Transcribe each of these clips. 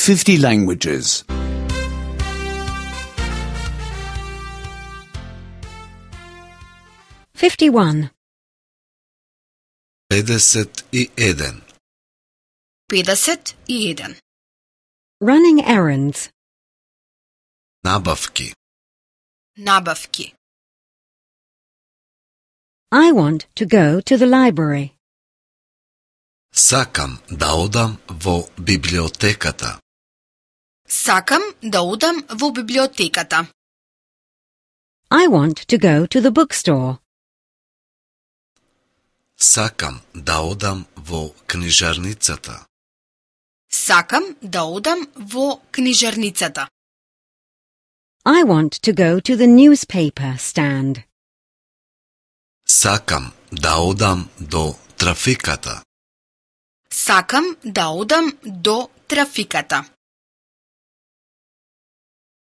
50 languages. 51. 51. 51. Running errands. Набавки. Набавки. I want to go to the library. Сакам да одам во библиотеката. Сакам да одам во библиотеката. I want to go to the bookstore. Сакам да одам во книжарницата. Сакам да одам во книжарницата. I want to go to the newspaper stand. Сакам да одам до трафиката. Сакам да одам до трафиката.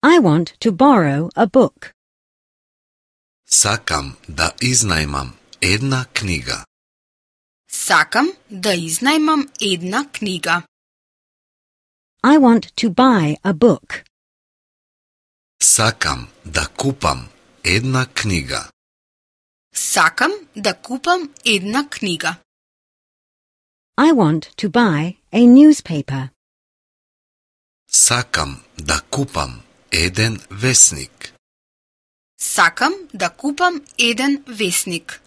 I want to borrow a book. Сакам да изнајмам една книга. Сакам да изнајмам една книга. I want to buy a book. Сакам да купам една книга. Сакам да купам една книга. I want to buy a newspaper. Сакам да купам еден весник. Сакам да купам еден весник.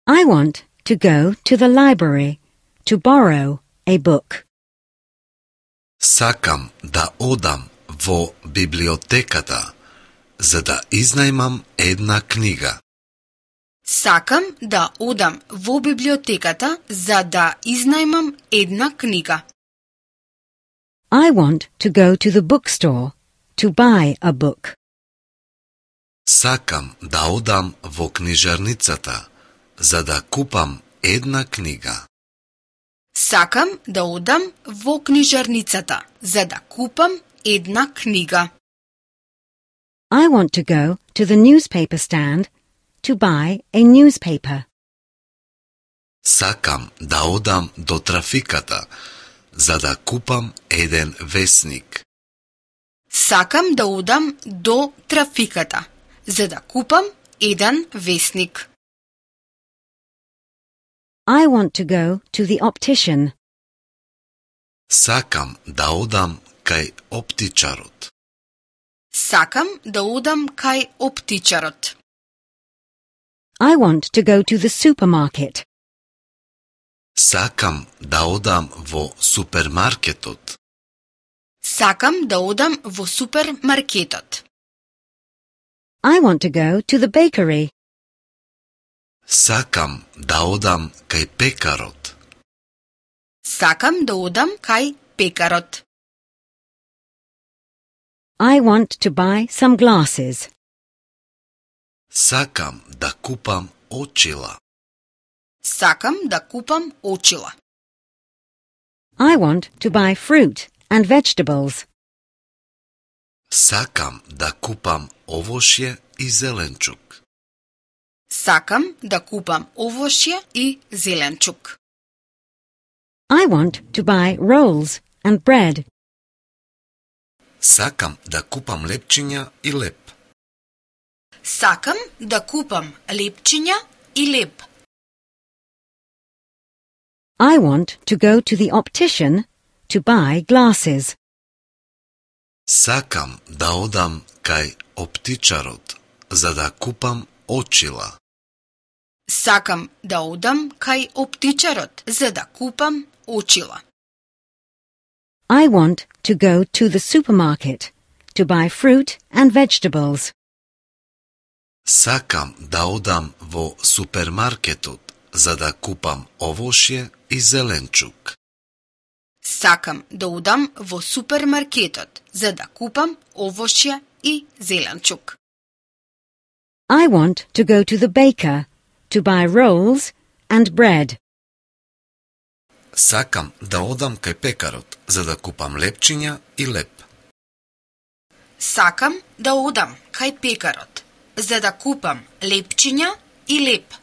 I want to go to the library to borrow a book. Сакам да одам во библиотеката за да изнајмам една книга. Сакам да одам во библиотеката за да изнајмам една книга. I want to go to the bookstore to buy a book. Сакам да одам во книжарницата за да купам една книга. Сакам да одам во книжарницата за да купам една книга. I want to go to the newspaper stand to buy a newspaper. Сакам да одам до трафиката за да купам еден весник. Сакам да одам до трафиката за да купам еден весник. I want to go to the optician. Сакам да одам кај оптичарот. Сакам да одам кај оптичарот. I want to go to the supermarket. Сакам да одам во супермаркетот. Сакам да одам во супермаркетот. I want to go to the bakery. Сакам да одам кај пекарот. Сакам да одам кај пекарот. I want to buy some glasses. Сакам да купам очила. Сакам да купам очила. I want to buy fruit and vegetables. Сакам да купам овошје и зеленчук. Сакам да купам овошје и зеленчук. I want to buy rolls and bread. Сакам да купам лепчиња и леп. Сакам да купам лепчиња и леп. I want to go to the optician to buy glasses. Сакам да одам кај оптичарот за да купам очила. Сакам да одам кај оптичарот за да купам очила. I want to go to the supermarket to buy fruit and vegetables. Сакам да одам во супермаркетот за да купам овошје и зеленчук. Сакам да одам во супермаркетот за да купам овошје и зеленчук. I want to go to the baker to buy rolls and bread. Сакам да одам кај пекарот за да купам лепчиња и леп. Сакам да одам кај пекарот за да купам лепчиња и леп.